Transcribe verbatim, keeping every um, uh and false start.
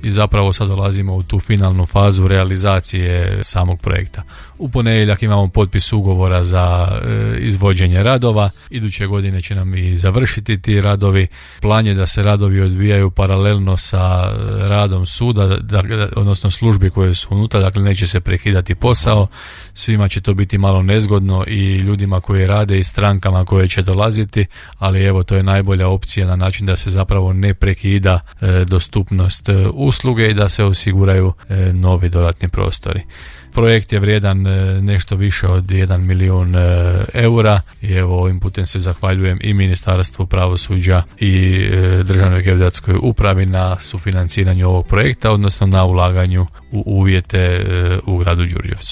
i zapravo sad dolazimo u tu finalnu fazu realizacije samog projekta. U ponedjeljak imamo potpis ugovora za e, izvođenje radova. Iduće godine će nam i završiti ti radovi. Plan je da se radovi odvijaju paralelno sa radom suda, da, odnosno službi koje su unutra, dakle neće se prekidati posao. Svima će to biti malo nezgodno i ljudima koji rade i strankama koje će dolaziti, ali evo to je najbolja opcija na način da se zapravo ne prekida e, dostupnost e, usluge i da se osiguraju e, novi dodatni prostori. Projekt je vrijedan nešto više od jedan milijun eura i evo ovim putem se zahvaljujem i Ministarstvu pravosuđa i Državnoj geodetskoj upravi na sufinanciranju ovog projekta, odnosno na ulaganju u uvjete u gradu Đurđevcu.